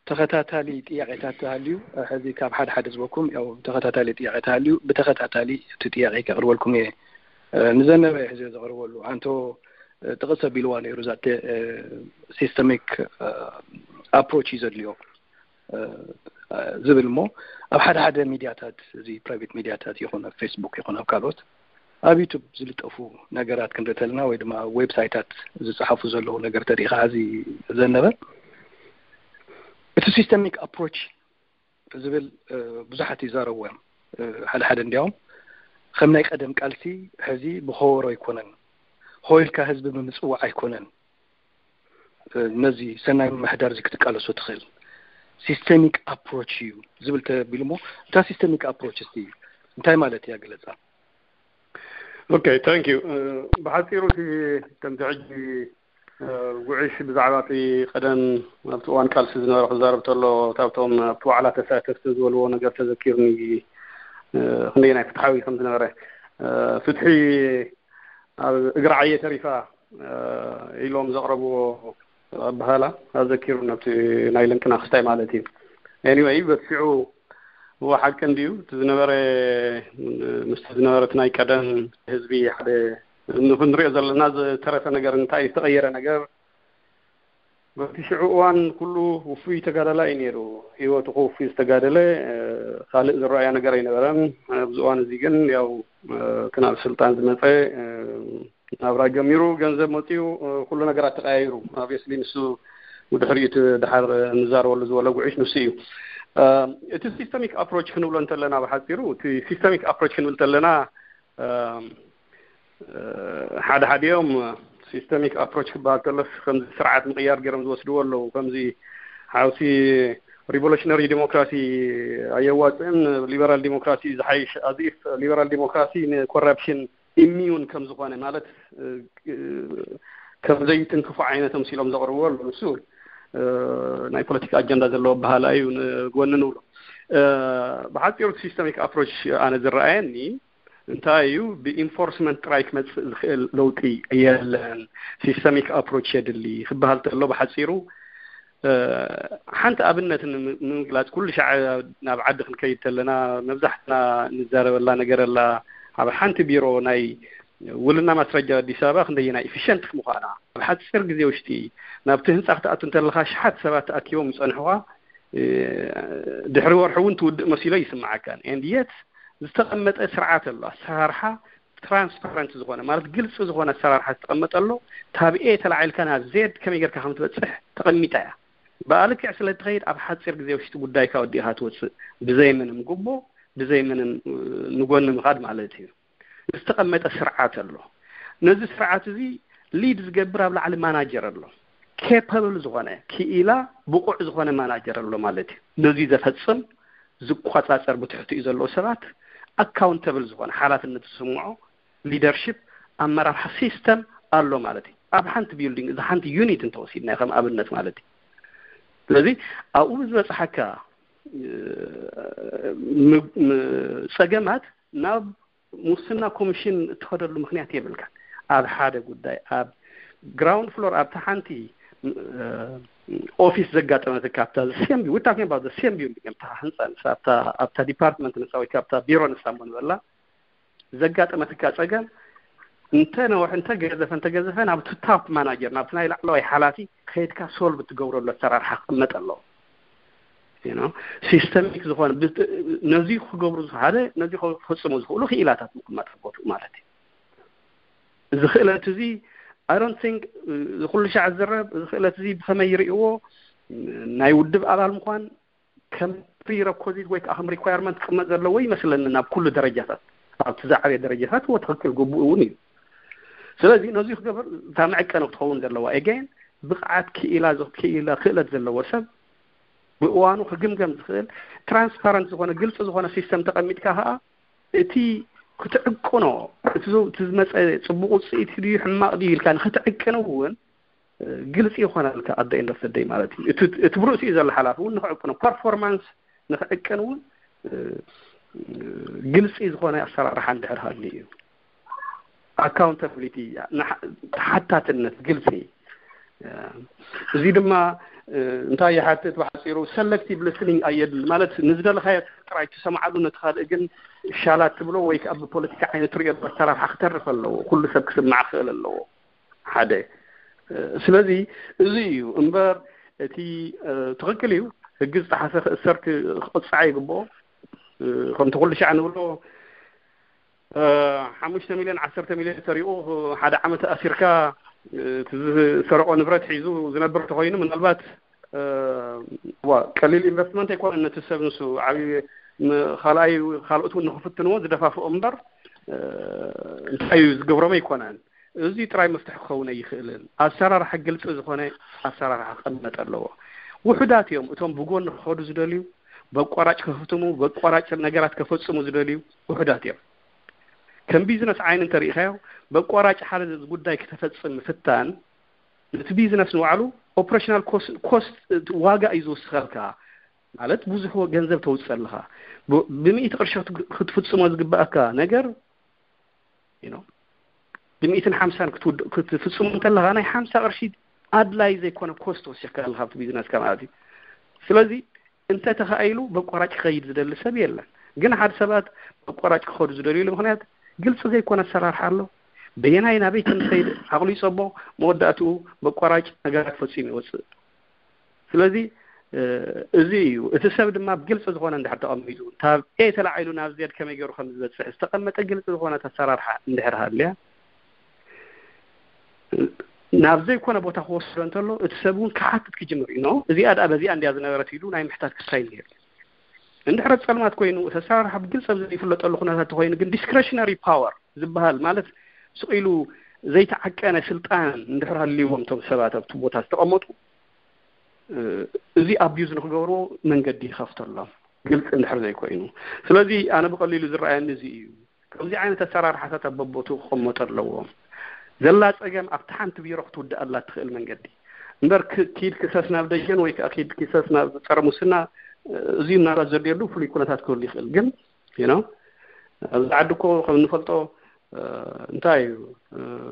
ተኸታታሊ ጥያቄታት ተሃልዩ፣ ሕዚ ካብ ሓደ ሓደ ዝበኩም ያው ተኸታታሊ ጥያቄ ተሃልዩ፣ ብተኸታታሊ እቲ ጥያቄ ከቕርበልኩም እየ። እ፣ ንዘነበ ሕዚ ዘቕርበሉ፣ ኣንቶ፣ እ፣ ጥቕስ ኣቢልዋ ነይሩ፣ እዛ ተ-፣ እ፣ ሲስተሚክ፣ እ፣ ኣፕሮች እዩ ዘድልዮ፣ እ፣ ዝብል እሞ፣ ኣብ ሓደ ሓደ ሚድያታት፣ እዚ ፕራይቬት ሚድያታት ይኹን ኣብ ፌስቡክ ይኹን ኣብ ካልኦት፣ ኣብ ዩቱብ ዝልጠፉ ነገራት ክንርኢ ተለና ወይ ድማ ኣብ ዌብሳይታት ዝጸሓፉ ዘለዉ ነገር ተሪኢኻ፣ እዚ ዘነበ፣ እቲ ሲስተሚክ ኣፕሮች ዝብል፣ እ፣ ብዙሓት ይዛረቡ እዮም። እ፣ ሓደ ሓደ እንዲያውም ከም ናይ ቀደም ቃልሲ ሕዚ ብኸበሮ ኣይኮነን፣ ሆ ኢልካ ህዝቢ ብምጽዋዕ ኣይኮነን፣ እ፣ ነዚ ሰናይ ምምሕዳር እዚ ክትቃለሶ ትኽእል፣ ሲስተሚክ ኣፕሮች እዩ ዝብል ተቢሉ እሞ፣ እታ ሲስተሚክ ኣፕሮች እስቲ እንታይ ማለት እያ ግለጻ። ኦኬ፣ ታንክ ዩ። ብሓፂሩ እቲ ከምቲ ሕጂ፣ እ፣ ጉዕሽ ብዛዕባ እቲ ቀደም ኣብቲ እዋን ቃልሲ ዝነበረ ክዛረብ ተሎ፣ ካብቶም ኣብቲ ዋዕላ ተሳተፍቲ ዝበልዎ ነገር ተዘኪሩኒ፣ እ፣ ክንደየናይ ፍትሓዊ ከም ዝነበረ፣ እ፣ ፍትሒ ኣብ እግሪ ዓየ ተሪፋ፣ እ፣ ኢሎም ዘቕረብዎ ኣበሃላ ኣዘኪሩኒ፣ ኣብቲ ናይ ለንቅና ክስታይ ማለት እዩ። ኤኒወይ፣ በቲ ሽዑ እዎ ሓቂ እንድዩ፣ እቲ ዝነበረ፣ ምስቲ ዝነበረ እቲ ናይ ቀደም ህዝቢ ሓደ ንኽንሪኦ ዘለና ዝተረፈ ነገር እንታይ እዩ? ዝተቐየረ ነገር፣ በቲ ሽዑ እዋን ኩሉ ውፉይ ተጋዳላይ እዩ ነይሩ። ህይወቱ ከውፊ ዝተጋደለ፣ እ፣ ካልእ ዝረኣዮ ነገር ኣይነበረን። ኣብዚ እዋን እዚ ግን ያው፣ እ፣ እቲ ናብ ስልጣን ዝመፀ፣ እ፣ ናብራ ጀሚሩ፣ ገንዘብ መፂኡ፣ እ፣ ኩሉ ነገራት ተቀያይሩ። ኦብቪየስሊ ንሱ ብድሕሪኡ እቲ ድሓር ንዛረበሉ ዝበሎ ጉዕሽ ንሱ እዩ። እ፣ እቲ ሲስተሚክ ኣፕሮች ክንብሎ እንተለና፣ ብሓፂሩ እቲ ሲስተሚክ ኣፕሮች ክንብል እንተለና፣ እ፣ እ፣ ሓደ ሓዲኦም ሲስተሚክ ኣፕሮች ክበሃል ከሎስ ከምዚ ስርዓት ምቕያር ገይሮም ዝወስድዎ ኣለዉ። ከምዚ ሓውሲ ሪቮሉሽነሪ ዲሞክራሲ ኣየዋፅእን፣ ሊበራል ዲሞክራሲ ዝሓይሽ፣ ኣዚፍ ሊበራል ዲሞክራሲ ንኮራፕሽን ኢሚዩን ከም ዝኾነ፣ ማለት፣ እ፣ ከም ዘይትንክፎ ዓይነት ኣምሲሎም ዘቕርብዎ ኣለዉ። ንሱ፣ እ፣ ናይ ፖለቲካ ኣጀንዳ ዘለዎ ኣበሃህላ እዩ፣ ንጎኒ ንብሎ። እ፣ ብሓፂሩ ሲስተሚክ ኣፕሮች ኣነ ዝረኣየኒ እንታይ እዩ፣ ብኢንፎርስመንት ጥራይ ክመፅእ ዝኽእል ለውጢ የለን፣ ሲስተሚክ ኣፕሮች የድሊ ክበሃል ተሎ፣ ብሓፂሩ፣ እ፣ ሓንቲ ኣብነት ንም-፣ ንምግላፅ፣ ኩሉ ሻዕ ናብ ዓዲ ክንከይድ ተለና መብዛሕትና ንዛረበላ ነገር ኣላ፣ ኣብ ሓንቲ ቢሮ ናይ ውልና ማስረጃ ኣዲስ ኣበባ ክንደየናይ ኢፊሸንት ምዃና፣ ኣብ ሓፂር ግዜ ውሽጢ ናብቲ ህንፃ ክትኣቱ እንተለኻ ሽሓት ሰባት ተኣኪቦም ይፀንሑኻ፣ እ፣ ድሕሪ ወርሒ እውን ትውድእ መሲሎ ይስምዓካን። And yet ዝተቐመጠ ስርዓት ኣሎ፣ ኣሰራርሓ ትራንስፓረንት ዝኾነ ማለት ግልፂ ዝኾነ ኣሰራርሓ ዝተቐመጠ ኣሎ። ካብ ኤ ተላዒልካ ናብ ዜድ ከመይ ጌርካ ከም ትበፅሕ ተቐሚጣ እያ። ብኣልክዕ ስለ ትኸይድ ኣብ ሓፂር ግዜ ውሽጢ ጉዳይካ ወዲእኻ ትወፅእ፣ ብዘይ ምንም ጉቦ፣ ብዘይ ምንም ንጎኒ ምኻድ ማለት እዩ። ዝተቐመጠ ስርዓት ኣሎ። ነዚ ስርዓት እዚ ሊድ ዝገብር ኣብ ላዕሊ ማናጀር ኣሎ። ኬፐብል ዝኾነ ክኢላ ብቑዕ ዝኾነ ማናጀር ኣሎ ማለት እዩ። ነዚ ዘፈፅም ዝቆፃፀር ብትሕትኡ ዘለዉ ሰባት ኣካውንተብል ዝኾነ ሓላፍነት ዝስምዖ ሊደርሽፕ ኣመራርሓ ሲስተም ኣሎ ማለት እዩ። ኣብ ሓንቲ ቢልዲንግ እዚ ሓንቲ ዩኒት እንተወሲድና ከም ኣብነት ማለት እዩ። ስለዚ ኣብኡ ዝበፅሓካ ጸገማት ናብ ሙስና ኮሚሽን እትኸደሉ ምክንያት የብልካ። ኣብ ሓደ ጉዳይ ኣብ ግራውንድ ፍሎር ኣብቲ ሓንቲ ኦፊስ ዘጋጠመትካ ኣብታ ሴም ቢልዲንግ ኣብታ ህንፃ ንሳ ኣብታ ዲፓርትመንት ንሳ ወይ ኣብታ ቢሮ ንሳ እሞ ንበላ ዘጋጠመትካ ጸገም እንተ ነውሕ እንተ ገዘፈ እንተ ገዘፈ ናብቲ ታፕ ማናጀር ናብቲ ናይ ላዕለዋይ ሓላፊ ከይድካ ሶልቭ ትገብረሉ ኣሰራርሓ ክቕመጥ ኣለዎ። ሲስተሚክ ዝኾነ ነዚ ክገብሩ ሓደ ነዚ ክፈፅሙ ዝኽእሉ ክኢላታት ምቕማጥ ቦትኡ ማለት እዩ። እዚ ክእለት እዚ I don't think እዚ ኩሉ ሻዕ ዝዝረብ እዚ ክእለት እዚ ብኸመይ ይርእይዎ ናይ ውድብ ኣባል ምዃን ከም ፕሪረኮዚት ወይ ከዓ ከም ሪኳየርመንት ክቕመጥ ዘለዎ ይመስለኒ ናብ ኩሉ ደረጃታት ኣብቲ ዝዓበየ ደረጃታት እዎ ትኽክል ግቡእ እውን እዩ። ስለዚ ነዚ ክገብር እታ መዕቀኒ ክትኸውን ዘለዋ ኤገን ብቕዓት ክኢላ ክኢላ ክእለት ዘለዎ ሰብ ብእዋኑ ክግምገም ዝኽእል ትራንስፓረንት ዝኾነ ግልፂ ዝኾነ ሲስተም ተቐሚጥካ ከዓ እቲ ክትዕቅኖ እቲ ዝመፀ ፅቡቅ ውፅኢት ድዩ ሕማቅ ድዩ ኢልካ ንክትዕቅን እውን ግልፂ ይኾነልካ ኣደ ኢንደስተደይ ማለት እዩ። እቲ ብርእሲኡ ዘሎ ሓላፊ እውን ንክዕቅኖ ፐርፎርማንስ ንክዕቅን እውን ግልፂ ዝኾነ ኣሰራርሓ እንድሕር ሃሉ እዩ። ኣካውንታብሊቲ፣ ተሓታትነት፣ ግልፂ። እዚ ድማ እንታይ ይሓትት ብሓፂሩ ሰለክቲቭ ሊስኒንግ ኣየድል ማለት ንዝደለኻዮ ጥራይ ትሰምዓሉ ነቲ ካልእ ግን ሻላት ትብሎ ወይ ከዓ ብፖለቲካ ዓይነት ትሪኦ ኣሰራርሓ ክተርፍ ኣለዎ። ኩሉ ሰብ ክስማዕ ክኽእል ኣለዎ። ሓደ ስለዚ እዚ እዩ እምበር እቲ ትኽክል እዩ ህጊ ዝጠሓሰ ክእሰር ክቕፃዕ ይግብኦ። ከምቲ ኩሉ ሻዕ ንብሎ ሓሙሽተ ሚልዮን ዓሰርተ ሚልዮን ሰሪቑ ሓደ ዓመት ኣሲርካ እቲ ዝሰረቆ ንብረት ሒዙ ዝነብር ተኮይኑ ምናልባት ዋ ቀሊል ኢንቨስትመንት ኣይኮነን ነቲ ሰብ ንሱ ዓብዪ ካልኣይ ካልኦት እውን ንክፍትንዎ ዝደፋፍኦ እምበር እንታይ እዩ ዝገብሮም ኣይኮነን። እዚ ጥራይ መፍትሒ ክኸውን ኣይኽእልን። ኣሰራርሓ ግልፂ ዝኾነ ኣሰራርሓ ክቐመጥ ኣለዎ። ውሑዳት እዮም እቶም ብጎኒ ክኸዱ ዝደልዩ፣ በቋራጭ ክህፍትሙ፣ በቋራጭ ነገራት ከፈፅሙ ዝደልዩ ውሑዳት እዮም። ከም ቢዝነስ ዓይኒ እንተሪኢኻዮ በቋራጭ ሓደ ጉዳይ ክተፈፅም ምፍታን ነቲ ቢዝነስ ንባዕሉ ኦፕሬሽናል ኮስት ዋጋ እዩ ዝውስኸልካ። ማለት ብዙሕ ገንዘብ ተውፅእ ኣለኻ። ብሚእቲ ቅርሺ ክትፍፅሞ ዝግባኣካ ነገር ብሚእትን ሓምሳን ክትፍፅሞ እንተለኻ ናይ ሓምሳ ቅርሺ ኣድላይ ዘይኮነ ኮስት ወሲኽካ ኣለኻ ኣብቲ ቢዝነስካ ማለት እዩ። ስለዚ እንተ ተኻኢሉ በቋራጭ ክኸይድ ዝደሊ ሰብ የለን። ግን ሓደ ሰባት በቋራጭ ክኸዱ ዝደልዩሉ ምክንያት ግልፂ ዘይኮነ ኣሰራርሓ ኣሎ። በየናይ ናበይ ከም ዝኸይድ ዓቕሉ ይፀቦ፣ መወዳእትኡ በቋራጭ ነገራት ፈፂሙ ይወፅእ። ስለዚ እዚ እዩ እቲ ሰብ ድማ ብግልፂ ዝኾነ እንድሕር ተቐሚጡ ካብ ኤ ተላዒሉ ናብ ዜድ ከመይ ገይሩ ከም ዝበፅሕ ዝተቐመጠ ግልፂ ዝኾነ ኣሰራርሓ እንድሕር ሃልያ ናብ ዘይኮነ ቦታ ክወስዶ እንተሎ እቲ ሰብ እውን ክሓትት ክጅምር እዩ። እዚኣ ደኣ በዚኣ እንድያ ዝነበረት ኢሉ ናይ ምሕታት ክሳይ ነይሩ። እንድሕር ፀልማት ኮይኑ እቲ ኣሰራርሓ ብግልፂ ኣብ ዘይፍለጠሉ ኩነታት ተኮይኑ ግን ዲስክሬሽነሪ ፓወር ዝበሃል ማለት ስቕ ኢሉ ዘይተዓቀነ ስልጣን እንድሕር ሃልይዎም እቶም ሰባት ኣብቲ ቦታ ዝተቐመጡ እዚ ኣቢዩዝ ንክገብርዎ መንገዲ ይኸፍተሎም ግልፂ እንድሕር ዘይኮይኑ። ስለዚ ኣነ ብቐሊሉ ዝረኣየኒ እዚ እዩ። ከምዚ ዓይነት ኣሰራርሓታት ኣብ በቦትኡ ክቐመጡ ኣለዎም። ዘላ ፀገም ኣብቲ ሓንቲ ቢሮ ክትውድኣላ እትኽእል መንገዲ እምበር ኪድ ክሰስ ናብ ደጀን ወይ ከዓ ኪድ ክሰስ ናብ ፀረ ሙስና እዚ ምናልባት ዘድልየሉ ፍሉይ ኩነታት ክህሉ ይኽእል። ግን ኣብዚ ዓዲ እኮ ከም እንፈልጦ እንታይ እዩ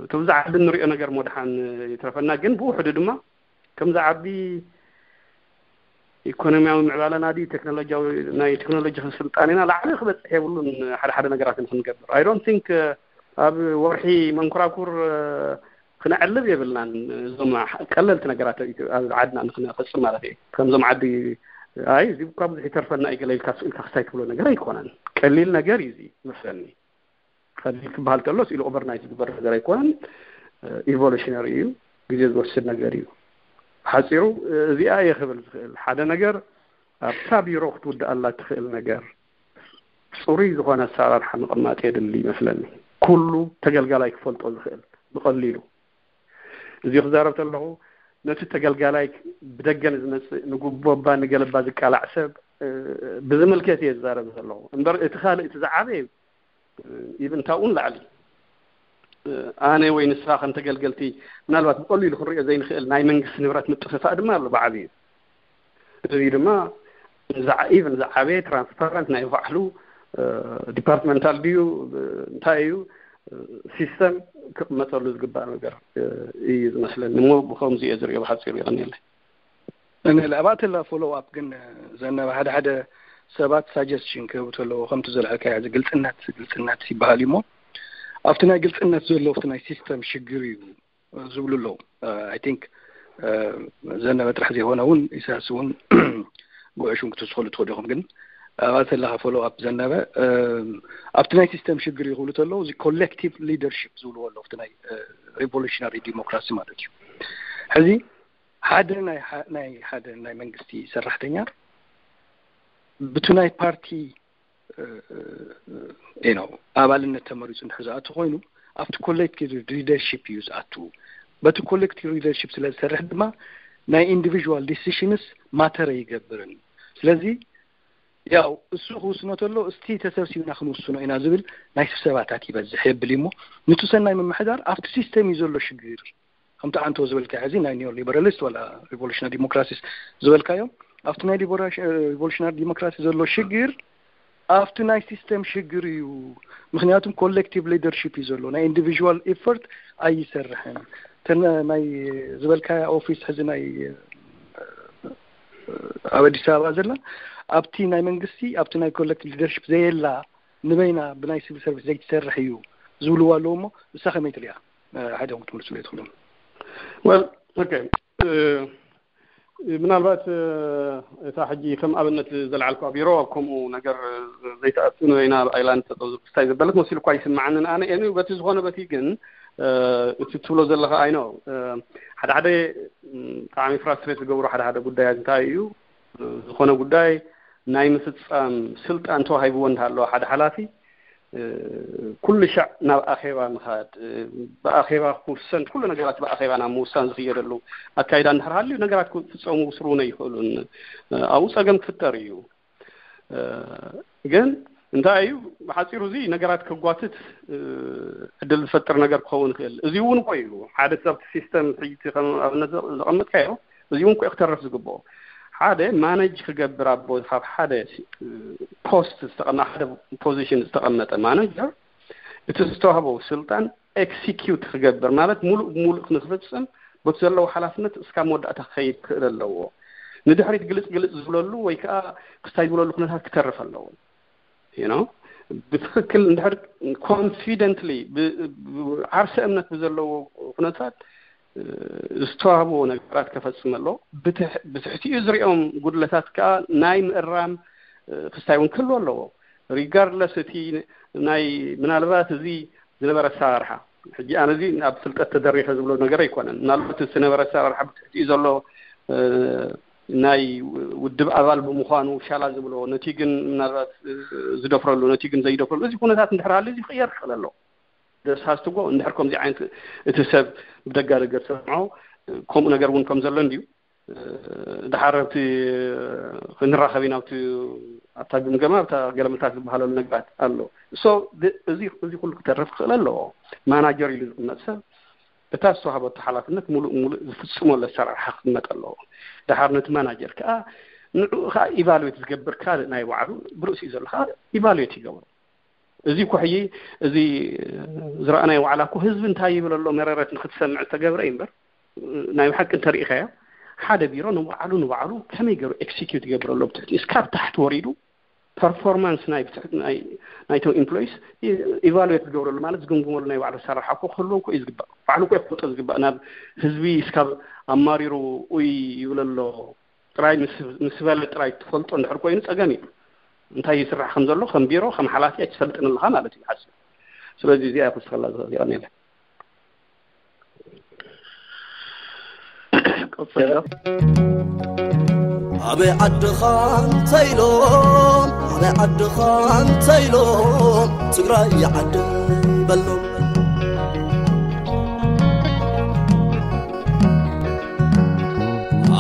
እቲ ብዛ ዓዲ እንሪኦ ነገር ሞድሓን ይትረፈና። ግን ብውሕዱ ድማ ከምዚ ዓዲ ኢኮኖሚያዊ ምዕባለና ድዩ ቴክኖሎጂያዊ ናይ ቴክኖሎጂ ስልጣኔና ላዕሊ ክበፅሕ የብሉን። ሓደ ሓደ ነገራት ክንገብር I don't think ኣብ ወርሒ መንኮራኩር ክነዕልብ የብልናን። እዞም ቀለልቲ ነገራት ኣብ ዓድና ንክነፈፅም ማለት እዩ። ከምዞም ዓዲ ኣይ እዚ እኳ ብዙሕ ይተርፈና እዩ ገለ ኢልካ ስኢልካ ክስታይ ትብሎ ነገር ኣይኮነን። ቀሊል ነገር እዩ እዚ መስለኒ። ከሊል ክበሃል ከሎስ ኢሉ ኦቨርናይት ዝግበር ነገር ኣይኮነን። ኢቮሉሽነሪ እዩ፣ ግዜ ዝወስድ ነገር እዩ። ሓፂሩ እዚኣ እየ ክብል ዝኽእል ሓደ ነገር ኣብታ ቢሮ ክትውድኣላ ትኽእል ነገር ፅሩይ ዝኾነ ኣሰራርሓ ምቕማጥ የድሊ ይመስለኒ። ኩሉ ተገልጋላይ ክፈልጦ ዝኽእል ብቐሊሉ። እዚ ክዛረብ ከለኹ ነቲ ተገልጋላይ ብደገ ንዝመፅእ ንጉቦባ ንገለባ ዝቃላዕ ሰብ ብዝምልከት እየ ዝዛረብ ዘለኹ እምበር እቲ ካልእ እቲ ዝዓበየ ኢቭን ታውን ላዕሊ ኣነ ወይ ንስኻ ከም ተገልገልቲ ምናልባት ብቐሊሉ ክንሪኦ ዘይንኽእል ናይ መንግስቲ ንብረት ምጥፍፋእ ድማ ኣሎ ብዓብዩ። እዚ ድማ ኢቭን ዝዓበየ ትራንስፓረንት ናይ ባዕሉ ዲፓርትመንታል ድዩ እንታይ እዩ ሲስተም ክቕመጠሉ ዝግባእ ነገር እዩ ዝመስለኒ። እሞ ብከምዚ እየ ዝሪኦ ብሓፂሩ ይቐኒለይ። ንልኣባትላ ፎሎው ኣፕ ግን ዘነበ ሓደ ሓደ ሰባት ሳጀስሽን ክህቡ ተለዎ ከምቲ ዘልዐልካ እዚ ግልፅነት ግልፅነት ይበሃል እዩ እሞ ኣብቲ ናይ ግልፅነት ዘሎ ኣብቲ ናይ ሲስተም ሽግር እዩ ዝብሉ ኣለዉ። ኣይ ቲንክ ዘነበ ጥራሕ ዘይኮነ እውን ኢሳያስ እውን ጉዕሹም ክትስኸሉ ትኸዱ ኢኹም ግን ኣባተለካ ፎሎ ኣፕ ዘነበ ኣብቲ ናይ ሲስተም ሽግር እዩ ክብሉ ተለዉ እዚ ኮሌክቲቭ ሊደርሽፕ ዝብልዎ ኣለዉ ኣብቲ ናይ ሪቮሉሽናሪ ዲሞክራሲ ማለት እዩ። ሕዚ ሓደ ናይ ሓደ ናይ መንግስቲ ሰራሕተኛ ብቲ ናይ ፓርቲ ነው ኣባልነት ተመሪፁ እንድሕር ዝኣቱ ኮይኑ ኣብቲ ኮሌክቲቭ ሊደርሽፕ እዩ ዝኣቱ። በቲ ኮሌክቲቭ ሊደርሽፕ ስለ ዝሰርሕ ድማ ናይ ኢንዲቪዥዋል ዲሲሽንስ ማተር ኣይገብርን። ስለዚ ያው እሱ ክውስኖ ተሎ እስቲ ተሰብሲብና ክንውስኖ ኢና ዝብል ናይ ስብሰባታት ይበዝሕ የብል እሞ ንቱ ሰናይ ምምሕዳር ኣብቲ ሲስተም እዩ ዘሎ ሽግር። ከምቲ ኣንቶ ዝበልካ ሕዚ ናይ ኒዮ ሊበራሊስት ወላ ሪቮሉሽናሪ ዲሞክራሲስ ዝበልካዮም ኣብቲ ናይ ሪቮሉሽናሪ ዲሞክራሲ ዘሎ ሽግር ኣብቲ ናይ ሲስተም ሽግር እዩ። ምክንያቱም ኮሌክቲቭ ሊደርሽፕ እዩ ዘሎ ናይ ኢንዲቪዥዋል ኤፈርት ኣይሰርሕን። ተን ናይ ዝበልካያ ኦፊስ ሕዚ ናይ ኣብ ኣዲስ ኣበባ ዘላ ኣብቲ ናይ መንግስቲ ኣብቲ ናይ ኮሌክቲቭ ሊደርሽፕ ዘየላ ንበይና ብናይ ሲቪል ሰርቪስ ዘይትሰርሕ እዩ ዝብልዋ ኣለዉ እሞ እሳ ከመይ ትሪኣ? ሓደ ክትምልስሉ ትኽእሉ። ወል ኦኬ ምናልባት እታ ሕጂ ከም ኣብነት ዘልዓልኳ ቢሮ ኣብ ከምኡ ነገር ዘይተኣቱ ንበይና ኣብ ኣይላንድ ተጠውዙ ክስታይ ዘበለት መሲሉ እኳ ይስምዓንን ኣነ ኤኒ በቲ ዝኾነ በቲ ግን እቲ ትብሎ ዘለኻ ኣይኖ ሓደ ሓደ ብጣዕሚ ፍራስትሬት ዝገብሩ ሓደ ሓደ ጉዳያት እንታይ እዩ ዝኾነ ጉዳይ ናይ ምፍፃም ስልጣን ተዋሂብዎ እንዳሃለዎ ሓደ ሓላፊ ኩሉ ሻዕ ናብ ኣኼባ ምኻድ ብኣኼባ ክውሰን ኩሉ ነገራት ብኣኼባ ናብ ምውሳን ዝኽየደሉ ኣካይዳ እንድሕር ሃልዩ ነገራት ክፍፀሙ ስሩነ ይኽእሉን ኣብኡ ፀገም ክፍጠር እዩ። ግን እንታይ እዩ ብሓፂሩ እዚ ነገራት ከጓትት ዕድል ዝፈጥር ነገር ክኸውን ይኽእል። እዚ እውን እኮ እዩ ሓደ ሰብ ሲስተም ሕጂ ከም ኣብነት ዘቐመጥካዮ እዚ እውን እኮ ክተርፍ ዝግብኦ ሓደ ማነጅ ክገብር ኣቦ ካብ ሓደ ፖስት ዝተቐመ ሓደ ፖዚሽን ዝተቐመጠ ማነጀር እቲ ዝተዋህቦ ስልጣን ኤክሲኪዩት ክገብር ማለት ሙሉእ ብሙሉእ ንክፍፅም በቲ ዘለዎ ሓላፍነት እስካብ መወዳእታ ክኸይድ ክኽእል ኣለዎ። ንድሕሪት ግልፅ ግልፅ ዝብለሉ ወይ ከዓ ክስታይ ዝብለሉ ኩነታት ክተርፍ ኣለዎ። ብትኽክል እንድሕር ኮንፊደንትሊ ዓርሰ እምነት ብዘለዎ ኩነታት ዝተዋህብዎ ነገራት ከፈፅም ኣሎ። ብትሕቲኡ ዝሪኦም ጉድለታት ከዓ ናይ ምእራም ክስታይ እውን ክህልዎ ኣለዎ። ሪጋርድለስ እቲ ናይ ምናልባት እዚ ዝነበረ ኣሰራርሓ ሕጂ ኣነ እዚ ኣብ ፍልጠት ተደሪኸ ዝብሎ ነገር ኣይኮነን። ምናልባት እቲ ዝነበረ ኣሰራርሓ ብትሕቲኡ ዘሎ ናይ ውድብ ኣባል ብምዃኑ ሻላ ዝብሎ ነቲ ግን ምናልባት ዝደፍረሉ ነቲ ግን ዘይደፍረሉ እዚ ኩነታት እንድሕር ሃልዩ እዚ ክቕየር ክኽእል ኣሎ። ደስሃስትጎ እንድሕር ከምዚ ዓይነት እቲ ሰብ ብደጋ ደገ ዝሰምዖ ከምኡ ነገር እውን ከም ዘሎ እንድዩ ድሓር ኣብቲ ክንራኸብ ኢና ኣብቲ ኣብታ ግምገማ ኣብታ ገለመታት ዝበሃለሉ ነገራት ኣሎ። ሶ እዚ እዚ ኩሉ ክተርፍ ክኽእል ኣለዎ። ማናጀር ኢሉ ዝቕመጥ ሰብ እታ ዝተዋህበቶ ሓላፍነት ሙሉእ ሙሉእ ዝፍፅመሉ ኣሰራርሓ ክቕመጥ ኣለዎ። ድሓር ነቲ ማናጀር ከዓ ንዕኡ ከዓ ኢቫሉዌት ዝገብር ካልእ ናይ ባዕሉ ብርእሲኡ ዘሎ ከዓ ኢቫሉዌት ይገብሮ። እዚ እኮ ሕጂ እዚ ዝረኣናዮ ዋዕላ እኮ ህዝቢ እንታይ ይብል ኣሎ መረረት ንክትሰምዕ ዝተገብረ እዩ እምበር ናይ ብሓቂ እንተሪኢኻዮ ሓደ ቢሮ ንባዕሉ ንባዕሉ ከመይ ገይሩ ኤክሲኪዩት ይገብር ኣሎ ብትሕቲ እስካብ ታሕቲ ወሪዱ ፐርፎርማንስ ናይ ናይቶም ኢምፕሎይስ ኢቫሉዌት ዝገብረሉ ማለት ዝግምግመሉ ናይ ባዕሉ ኣሰራርሓ እኮ ክህልዎ እኮ እዩ ዝግባእ። ባዕሉ እኮ ይፈልጦ ዝግባእ ናብ ህዝቢ እስካብ ኣማሪሩ ኡይ ይብል ኣሎ ጥራይ ምስ በለ ጥራይ ትፈልጦ እንድሕር ኮይኑ ፀገም እዩ። እንታይ ይስራሕ ከም ዘሎ ከም ቢሮ ከም ሓላፊ ኣይትፈልጥን ኣለኻ ማለት እዩ። ሓስ ስለዚ እዚኣ ክውስኸላ ዝኽእል። የቐንየለ። ቀጽሎ። ኣበይ ዓድኻ እንተ ኢሎም፣ ኣበይ ዓድኻ እንተ ኢሎም፣ ትግራይ ዓደይ በሎም።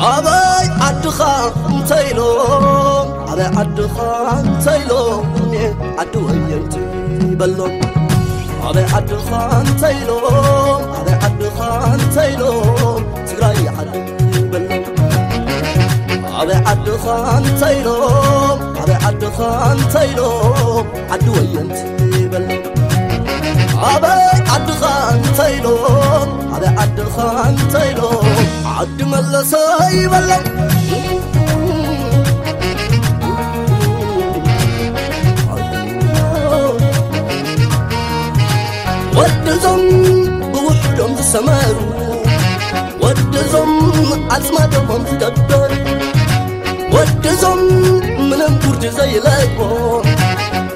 ኣበይ ዓድኻ እንተ ኢሎም፣ ኣበይ ዓድኻ እንተ ኢሎም፣ ዓዲ ወየንቲ በሎም። ኣበይ ዓድኻ እንተ ኢሎም፣ ኣበይ ዓድኻ እንተ ኢሎም፣ ትግራይ ዓደይ በሎም። ኣበይ ዓድኻ እንተ ኢሎም፣ ኣበይ ዓድኻ እንተ ኢሎም፣ ዓዲ ወየንቲ በሎም። ኣበይ ዓድኻ እንተ ኢሎም፣ ኣበይ ዓድኻ እንተ ኢሎም፣ ዓዲ መለሰ ይበሎም። ወድዞም ብውሕዶም ዝሰመሩ፣ ወድዞም ኣጽማዶሞም ዝደበሩ፣ ወድዞም ምንም ጉርዲ ዘይለቅቦ፣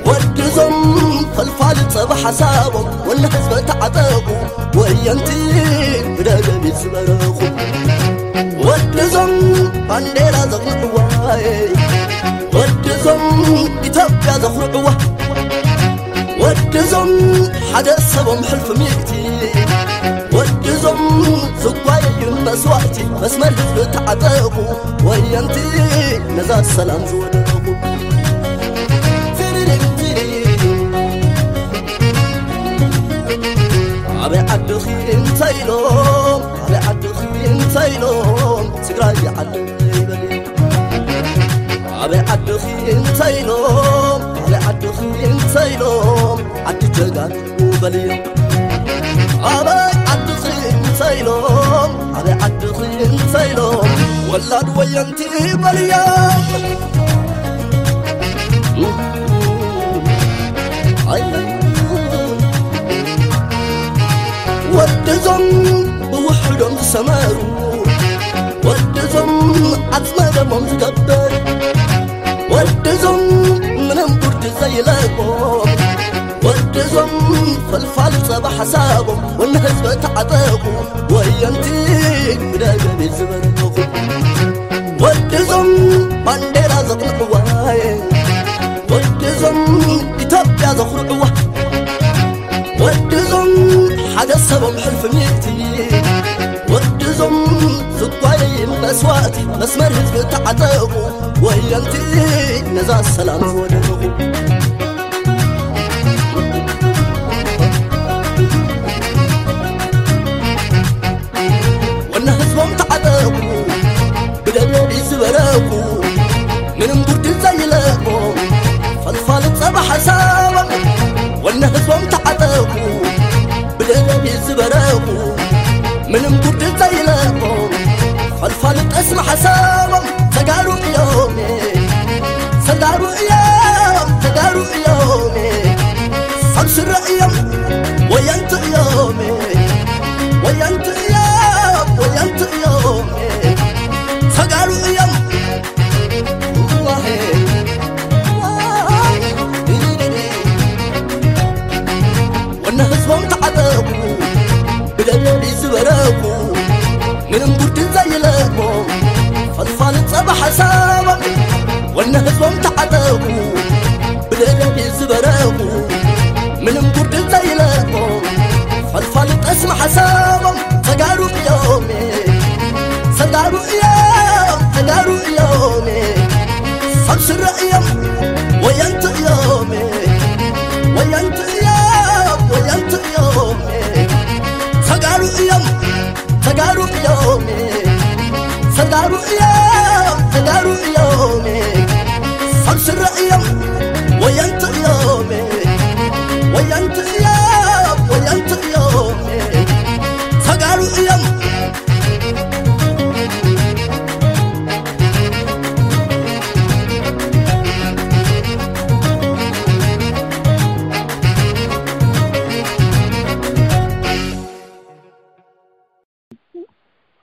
ወድዞም ፈልፋሊ ጸባ ሓሳቦም፣ ወነ ህዝበ ተዓጠቑ፣ ወየንቲ ብደደቢት ዝበረኹ። ወድዞም ባንዴራ ዘቕንዕዋ፣ ወድዞም ኢትዮጵያ ዘኹርዕዋ፣ ወድዞም ሓደ ሰቦም ሕልፊ ሚእቲ፣ ወድዞም ዝጓየዩ መስዋእቲ፣ መስመር ህዝቢ ተዓጠቑ፣ ወየንቲ ነዛ ሰላም ዝወደቑ። ኣበይ ዓድኺ እንተ ኢሎም፣ ኣበይ ዓድኺ እንተ ኢሎም፣ ትግራይ ዓደይ በሊ። ኣበይ ዓድኺ እንተ ኢሎም፣ ኣበይ ዓድኺ እንተ ኢሎም፣ ዓዲ ጀጋኑ በልዮም። ኣበይ ዓድኺ እንተ ኢሎም፣ ኣበይ ዓድኺ እንተ ኢሎም፣ ወላድ ወየንቲ በልዮም። ኣይ፣ ወድዞም ብውሕዶም ዝሰመሩ፣ ወድዞም ዓጽመ ደሞም ዝገበር፣ ወድዞም ምንም ጉርዲ ዘይለቆም፣ ወድዞም ፈልፋሊ ጸባ ሓሳቦም፣ ወነ ህዝበ ተዓጠቑ፣ ወየንቲ ብደገቤት ዝበረኹ። ወድዞም ባንዴራ ዘቕንዕዋ፣ ወድዞም ኢትዮጵያ ዘኹርዕዋ፣ ወድዞም ሓደ ሰቦም ሕልፊ ሚእቲ፣ ወድዞም ዝጓየይ መስዋእቲ፣ መስመር ህዝቢ ተዓጠቑ፣ ወየንቲ ነዛ ሰላም ዝወደቑ። ወነ ህዝቦም ተዓጠቑ፣ ብደብረዲ ዝበረቑ፣ ምንም ጉርዲ ዘይለቆም፣ ፈልፋሊ ጸባ ሓሳቦም። ወነ ህዝቦም ተዓጠቑ፣ ብደብረዲ ዝበረቑ፣ ምንም ጉርዲ ዘይለቆም፣ ፈልፋሊ ጠስሚ ሓሳቦም። ተጋሩ እዮም፣ ተጋሩ እዮም፣ ተጋሩ እዮም። ሰብ ስረ እዮም፣ ወየንቲ እዮም፣ ወየንቲ እዮም፣ ወየንቲ እዮም። ተጋሩ እዮም። ወነ ህዝቦም ተዓጠቑ፣ ብደብረዲ ዝበረቑ፣ ምንም ጉርዲ ዘይለቆም፣ ፈልፋሊ ጸባ ሓሳቦም። ወነ ህዝቦም ተዓጠቑ፣ ብደደቢት ዝበረቑ፣ ምንም ጉርዲ ዘይለቆም፣ ፈልፋሊ ጠስሚ ሓሳቦም። ተጋሩ እዮም፣ ተጋሩ እዮም፣ ተጋሩ እዮም። ሰብ ስረ እዮም፣ ወየንቲ እዮም፣ ወየንቲ እዮም፣ ወየንቲ እዮም። ተጋሩ እዮም፣ ተጋሩ እዮም፣ ተጋሩ እዮም፣ ተጋሩ እዮም።